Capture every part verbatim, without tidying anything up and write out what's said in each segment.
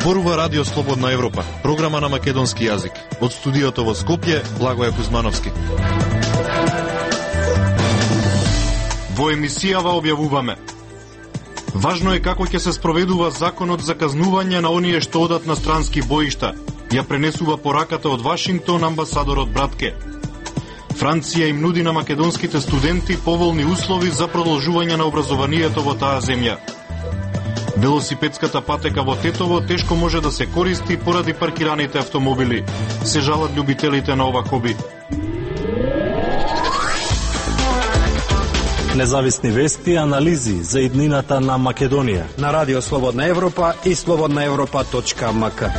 Зборува Радио Слободна Европа, програма на македонски јазик. Од студиото во Скопје, Благоје Кузмановски. Во емисијава објавуваме: важно е како ќе се спроведува законот за казнување на оние што одат на странски боишта. Ја пренесува пораката од Вашингтон амбасадорот Братке. Франција им нуди на македонските студенти поволни услови за продолжување на образованието во таа земја. Велосипедската патека во Тетово тешко може да се користи поради паркираните автомобили. Се жалат љубителите на ова хоби. Независни вести и анализи за иднината на Македонија на Радио Слободна Европа и слободна европа точка ем ка.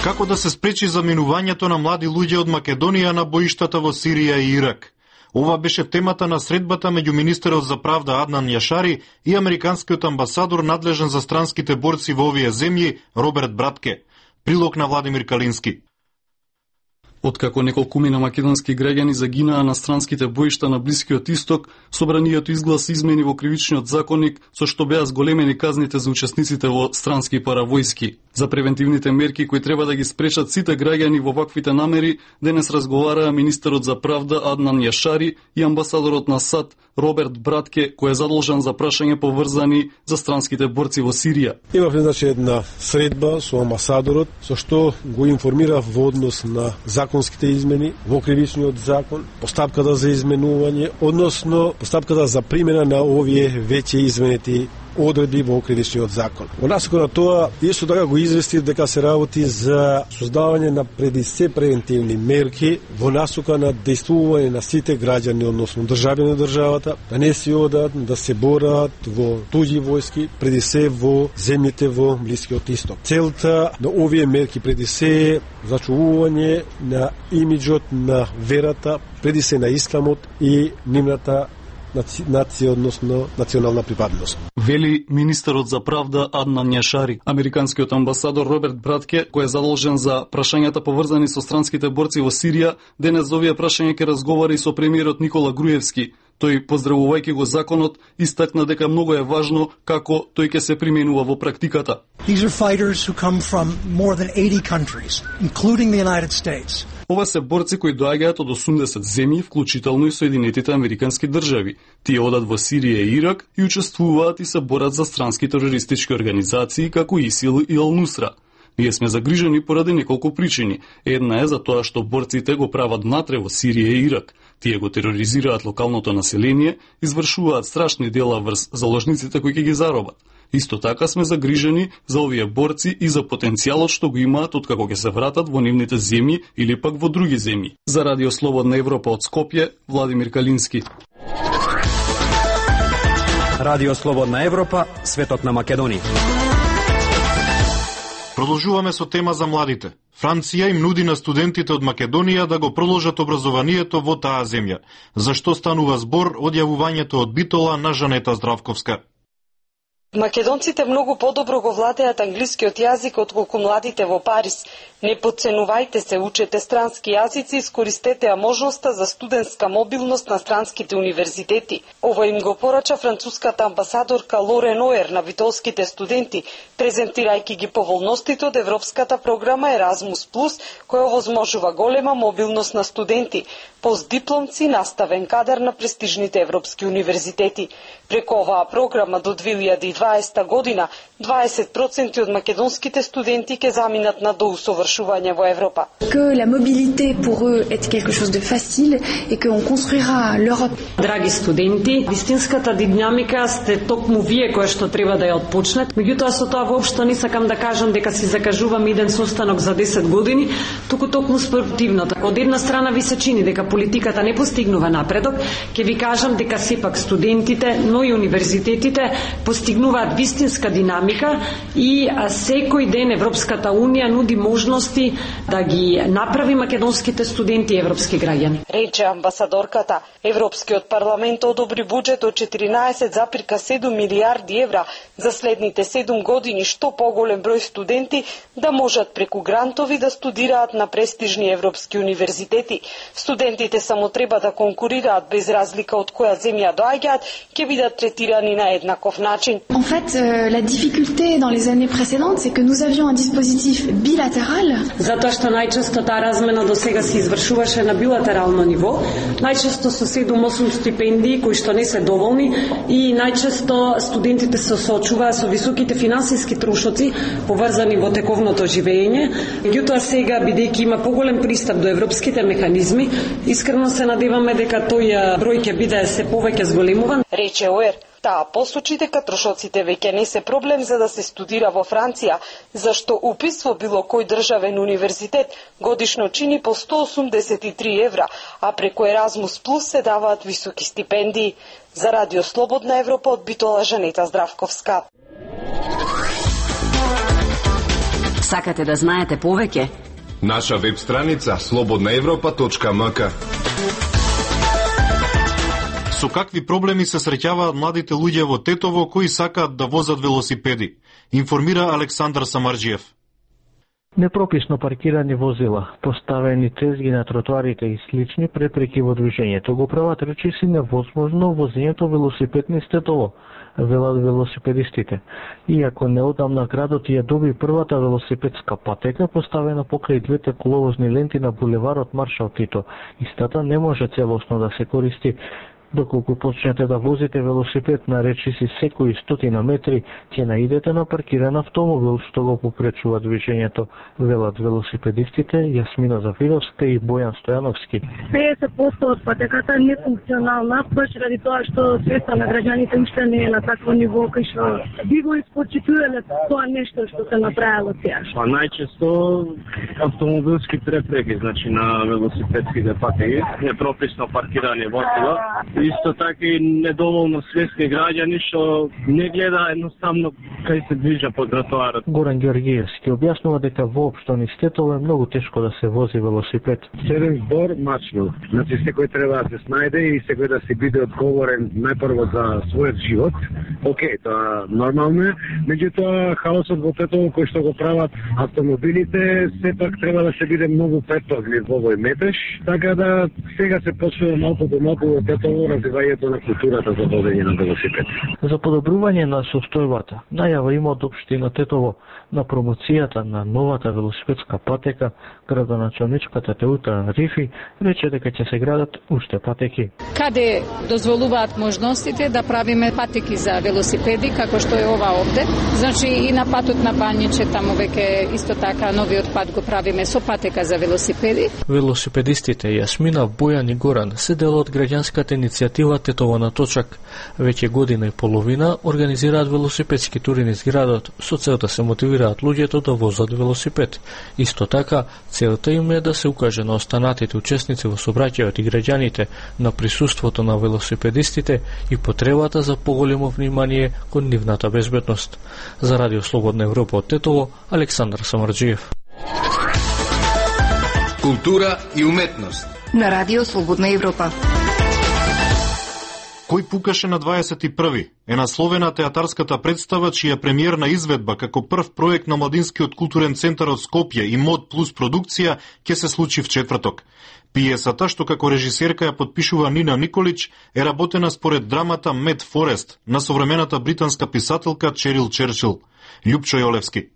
Како да се спречи заминувањето на млади луѓе од Македонија на боиштата во Сирија и Ирак? Ова беше темата на средбата меѓу министерот за правда Аднан Јашари и американскиот амбасадор надлежен за странските борци во овие земји Роберт Братке. Прилог на Владимир Калински. Откако неколкумина македонски граѓани загинаа на странските боишта на Блискиот Исток, собранието изгласи измени во кривичниот законник со што беа зголемени казните за учесниците во странски паравојски. За превентивните мерки кои треба да ги спречат сите граѓани во ваквите намери, денес разговараа министерот за правда Аднан Јашари и амбасадорот на САД Роберт Братке, кој е задолжен за прашање поврзани за странските борци во Сирија. Имавме значи една средба со амбасадорот, со што го информирав во однос на законските измени во кривичниот закон, постапката за изменување, односно постапката за примена на овие веќе изменети одредби во кривичниот закон. Во насока на тоа, исто така го известив дека се работи за создавање на преди се превентивни мерки во насока на дејствување на сите граѓани, односно државјани на државата, да не се одат, да се борат во туѓи војски, преди се во земјите во Блискиот Исток. Целта на овие мерки преди се е зачувување на имиџот на верата, преди се на исламот и нивната нација, односно национална припадност. Вели министерот за правда Аднан Јашари. Американскиот амбасадор Роберт Братке, кој е задолжен за прашањата поврзани со странските борци во Сирија, денес за овие прашања ќе разговара и со премиерот Никола Груевски. Тој, поздравувајќи го законот, истакна дека многу е важно како тој ќе се применува во практиката. These are fighters who come from more than eighty countries, including the United States. Ова се борци кои доаѓаат од осумдесет земји, вклучително и Соединетите американски држави. Тие одат во Сирија и Ирак и учествуваат и се борат за странски терористички организации како ИСИЛ и Ал-Нусра. Ние сме загрижени поради неколку причини. Една е за тоа што борците го прават внатре во Сирија и Ирак. Тие го тероризираат локалното население, извршуваат страшни дела врз заложниците кои ќе ги заробат. Исто така сме загрижени за овие борци и за потенцијалот што го имаат откако ќе се вратат во нивните земји или пак во други земји. За Радио Слободна Европа од Скопје, Владимир Калински. Радио Слободна Европа, светот на Македонија. Продолжуваме со тема за младите. Франција им нуди на студентите од Македонија да го продолжат образованието во таа земја. Зашто станува збор од јавувањето од Битола на Жанета Здравковска. Македонците многу подобро го владеат англискиот јазик отколку младите во Париз. Не потценувајте се, учете странски јазици, искористете ја можноста за студентска мобилност на странските универзитети. Ова им го порача француската амбасадорка Лорен Оер на битолските студенти, презентирајќи ги поволностите од европската програма Еразмус плюс, која овозможува голема мобилност на студенти, постдипломци, наставен кадар на престижните европски универзитети. Преку оваа програма до две илјади и дваесета година, дваесет проценти од македонските студенти ќе заминат на доусовршување во Европа. Que la mobilité pour eux est quelque chose de facile et qu'on construira l'Europe. Драги студенти, вистинската динамика сте токму вие која што треба да ја отпочнат. Меѓутоа со тоа воопшто не сакам да кажам дека си закажувам иден состанок за десет години, туку токму спротивното. Од една страна ви се чини дека политиката не постигнува напредок, ќе ви кажам дека сепак студентите, но и универзитетите постигнуваат вистинска динамика динамика и секој ден Европската унија нуди можности да ги направи македонските студенти европски граѓани. Рече амбасадорката. Европскиот парламент одобри буџет од четиринаесет запирка седум милијарди евра за следните седум години, што поголем број студенти да можат преку грантови да студираат на престижни европски универзитети. Студентите само треба да конкурираат без разлика од која земја доаѓаат, ќе бидат третирани на еднаков начин. En fait, euh, la difficulté dans les années précédentes, c'est que nous avions un dispositif bilatéral. Затоа што најчесто таа размена до сега се извршуваше на билатерално ниво, најчесто со седум-осум стипендии кои што не се доволни и најчесто студентите се соочуваат со високите финансиски трошоци поврзани во тековното живење. Меѓутоа сега, бидејќи има поголем пристап до европските механизми, искрено се надеваме дека тој број ќе биде се повеќе зголемуван. Рече Оер. Таа посочи дека трошоците веќе не се проблем за да се студира во Франција, зашто упис во било кој државен универзитет годишно чини по сто осумдесет и три евра, а преку Еразмус Плюс се даваат високи стипендии. За Радио Слободна Европа од Битола, Жанета Здравковска. Сакате да знаете повеќе? Наша веб страница слободна европа точка ем ка. Со какви проблеми се среќаваат младите луѓе во Тетово кои сакаат да возат велосипеди, информира Александар Самарџиев. Непрописно паркирани возила, поставени тезги на тротоарите и слични препреки во движењето го прават речиси невозможно возењето велосипед низ Тетово, велат велосипедистите. Иако неодамна градот ја доби првата велосипедска патека поставена покрај двете коловозни ленти на булеварот Маршал Тито, истата не може целосно да се користи. Доколку почнете да возите велосипед на речиси секои стотина метри, ќе наидете на паркиран автомобил што го попречува движењето, велат велосипедистите Јасмина Зафировска и Бојан Стојановски. петдесет проценти од патеката е нефункционална, баш ради тоа што свеста на граѓаните уште не е на такво ниво кај што би го испочитувале тоа нешто што се направило сега. Па најчесто автомобилски препреки, значи на велосипедските патеки, непрописно паркирани возила. Исто така и недоволно свесни граѓани што не гледа едноставно кај се движа по тротоарот. Горан Ѓоргиевски објаснува дека воопшто низ Тетово е многу тешко да се вози велосипед. Седен збор мачно. Значи секој треба да се снајде и секој да си биде одговорен најпрво за својот живот. Океј, тоа нормално е. Меѓутоа хаосот во Тетово кој што го прават автомобилите, сепак треба да се биде многу предпазлив во овој метеж, така да сега се почнува малку до малку во Тетово развивањето на културата за возење на велосипед. За подобрување на состојбата, најава има од општина Тетово на промоцијата на новата велосипедска патека, градоначалничката Теута Рифи рече дека ќе се градат уште патеки. Каде дозволуваат можностите да правиме патеки за велосипеди, како што е ова овде. Значи и на патот на Бањиче, таму веќе исто така новиот пат го правиме со патека за велосипеди. Велосипедистите Јасмина, Бојан и Горан се дел од граѓанската иницијатива Тетово на точак. Веќе година и половина организираат велосипедски тури низ градот со цел да се мотивираат луѓето да возат велосипед. Исто така, целта им е да се укаже на останатите учесници во сообраќајот и граѓаните на присуството на велосипедистите и потребата за поголемо внимание кон нивната безбедност. За Радио Слободна Европа од Тетово, Александар Самарџиев. Култура и уметност на Радио Слободна Европа. Кој пукаше на дваесет и први е насловена театарската представа чија премиерна изведба како прв проект на Младинскиот културен центар од Скопје и Мод Плюс продукција ќе се случи в четврток. Пиесата, што како режисерка ја подпишува Нина Николич, е работена според драмата Мед Форест на современата британска писателка Черил Черчил. Љупчо Јолевски.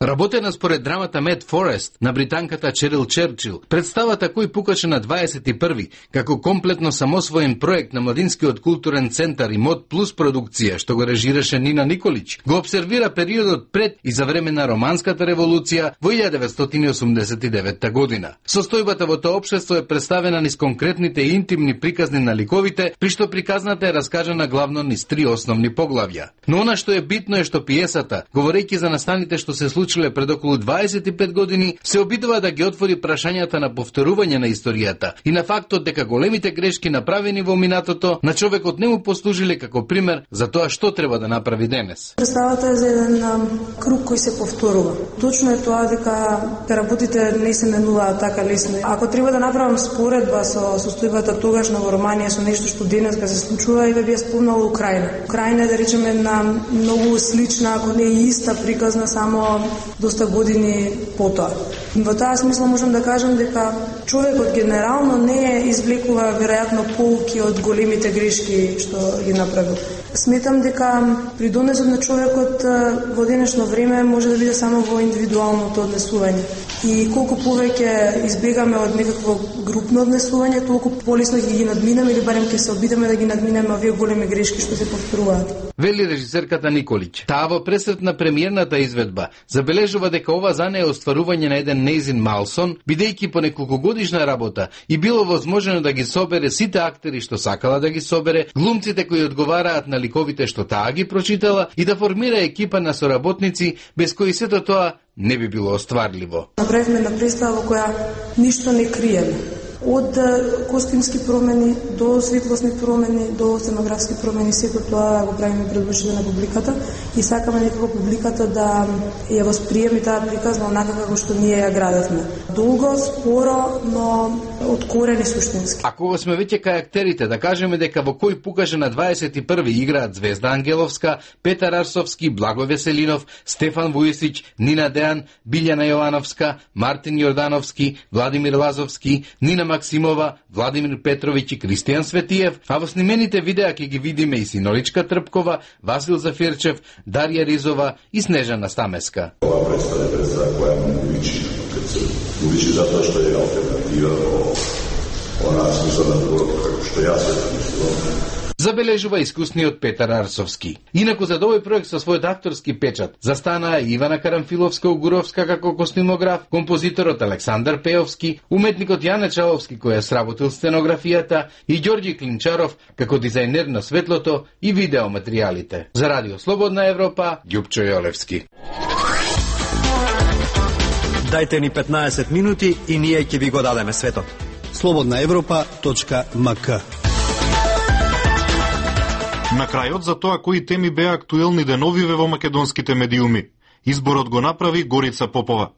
Работена според драмата Мед Форест на британката Черил Черчил, представата Кој пукаше на дваесет и први, како комплетно самосвоен проект на Младинскиот културен центар и Мод Плюс продукција, што го режираше Нина Николич, го обсервира периодот пред и за време на романската револуција во илјада деветстотини осумдесет и девета година. Состојбата во тоа општество е представена низ конкретните и интимни приказни на ликовите, при што приказната е раскажана главно низ три основни поглавја. Но она што е битно е што пиесата, говорејќи за настаните што се случи случиле пред околу дваесет и пет години, се обидува да ги отвори прашањата на повторување на историјата и на фактот дека големите грешки направени во минатото на човекот не му послужиле како пример за тоа што треба да направи денес. Представата е за еден круг кој се повторува. Точно е тоа дека работите не се менуваат така лесно. Ако треба да направам споредба со состојбата тогашна во Романија со нешто што денес га се случува, и би ја спомнала Украина. Украина е, да речеме, една многу слична, ако не и иста приказна, само доста години потоа. Во таа смисла можам да кажам дека човекот генерално не извлекува веројатно поуки од големите грешки што ги направил. Сметам дека придонесот на човекот во денешно време може да биде само во индивидуалното однесување. И колку повеќе избегаме од некакво групно однесување, толку полесно ќе ги надминеме или барем ќе се обидеме да ги надминеме овие големи грешки што се повторуваат. Вели режисерката Николич. Таа во пресрет на премиерната изведба забележува дека ова за неја е остварување на еден нејзин малсон, бидејќи по неколкогодишна работа и било возможно да ги собере сите актери што сакала да ги собере, глумците кои одговараат на ликовите што таа ги прочитала и да формира екипа на соработници без кои сето тоа не би било остварливо. Направивме на представа во која ништо не криеме. Од костимски промени до светлосни промени, до сценографски промени, сето тоа го правиме пред очите на публиката и сакаме некако публиката да ја восприеме таа приказна онака како што ние ја градевме. Долго, споро, но од корени суштински. Ако сме веќе кај актерите, да кажеме дека во кој покаже на дваесет и први играат Звезда Ангеловска, Петар Арсовски, Благо Веселинов, Стефан Вујсич, Нина Дејан, Билјана Јовановска, Мартин Јордановски, Владимир Лазовски, Нина Максимова, Владимир Петровиќ и Кристијан Светиев, а во снимените видеа ќе ги видиме и Синоличка Трпкова, Васил Зафирчев, Дарија Ризова и Снежана Стамеска. Ова представа е представа која му личи, кај се уличи затоа што е алтернатива во онаа смисла на другото, како што јас се мислам. Забележува искусниот Петар Арсовски. Инаку за овој проект со својот акторски печат застанаа Ивана Карамфиловска-Угуровска како костюмограф, композиторот Александар Пеовски, уметникот Јане Чаловски кој ја сработил сценографијата и Ѓорѓи Клинчаров како дизајнер на светлото и видеоматеријалите. За Радио Слободна Европа, Ѓупчо Јолевски. Дајте ни петнаесет минути и ние ќе ви го дадеме светот. слободна европа точка ем ка. На крајот за тоа кои теми беа актуелни деновиве во македонските медиуми. Изборот го направи Горица Попова.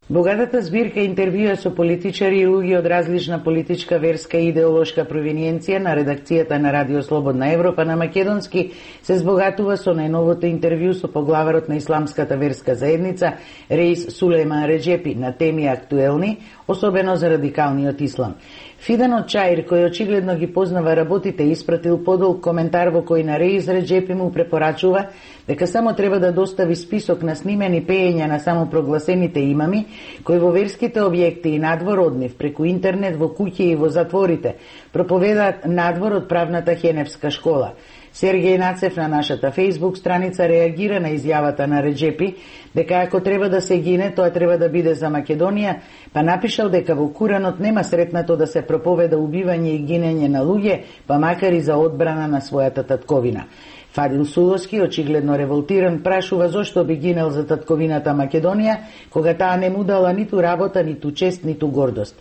Богатата збирка интервјуа со политичари и луѓе од различна политичка, верска и идеолошка провиненција на редакцијата на Радио Слободна Европа на македонски се збогатува со најновото интервју со поглаварот на Исламската верска заедница Реис Сулејман Реџепи на теми актуелни, особено за радикалниот ислам. Фидано Чаир, кој очигледно ги познава работите, испратил подолг коментар во кој на Реис Реџепи му препорачува дека само треба да достави список на снимени пеења на самопрогласените имами, кои во верските објекти и надвор од нив, преку интернет, во куќи и во затворите, проповедаат надвор од правната Хеневска школа. Сергеј Нацев на нашата Facebook страница реагира на изјавата на Реџепи дека ако треба да се гине, тоа треба да биде за Македонија, па напишал дека во Куранот нема сретнато да се проповеда убивање и гинење на луѓе, па макар и за одбрана на својата татковина. Фадил Суловски, очигледно револтиран, прашува зошто би гинел за татковината Македонија, кога таа не му дала ниту работа, ниту чест, ниту гордост.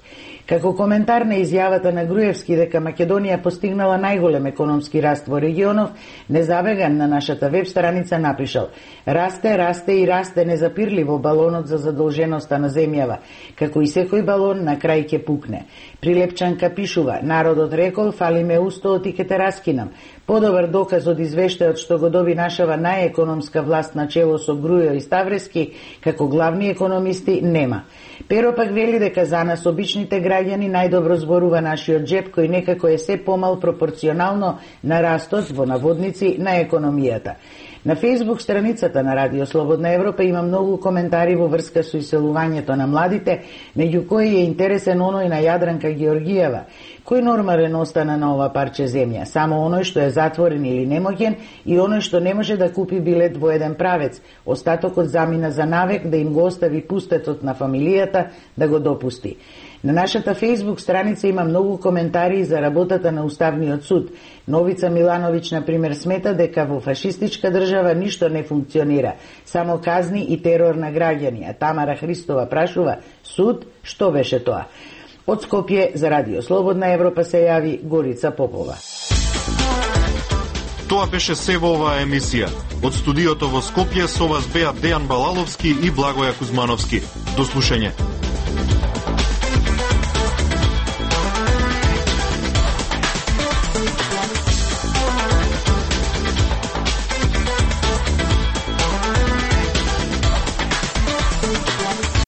Како коментар на изјавата на Груевски дека Македонија постигнала најголем економски раст во регионов, Незавеган на нашата веб страница напишал: расте, расте и расте незапирливо балонот за задолженоста на земјава, како и секој балон на крај ќе пукне. Прилепчанка пишува: народот рекол, фали ме устоот и ке те раскинам. Подобар доказ од извештајот што го доби нашава најекономска власт на чело со Грујо и Ставрески како главни економисти нема. Перо пак вели дека за нас обичните граѓани најдобро зборува нашиот джеб, кој некако е се помал пропорционално на растот во наводници на економијата. На Facebook страницата на Радио Слободна Европа има многу коментари во врска со иселувањето на младите, меѓу кои е интересен оној на Јадранка Георгиева. Кој нормален остана на ова парче земја? Само оној што е затворен или немоќен и оној што не може да купи билет во еден правец. Остатокот замина за навек да им го остави пустетот на фамилијата да го допусти. На нашата Facebook страница има многу коментари за работата на Уставниот суд. Новица Милановиќ, например, смета дека во фашистичка држава ништо не функционира, само казни и терор на граѓани, а Тамара Христова прашува: суд, што беше тоа? Од Скопје за Радио Слободна Европа се јави Горица Попова. Тоа беше се во оваа емисија. Од студиото во Скопје со вас беа Дејан Балаловски и Благоја Кузмановски. До слушање.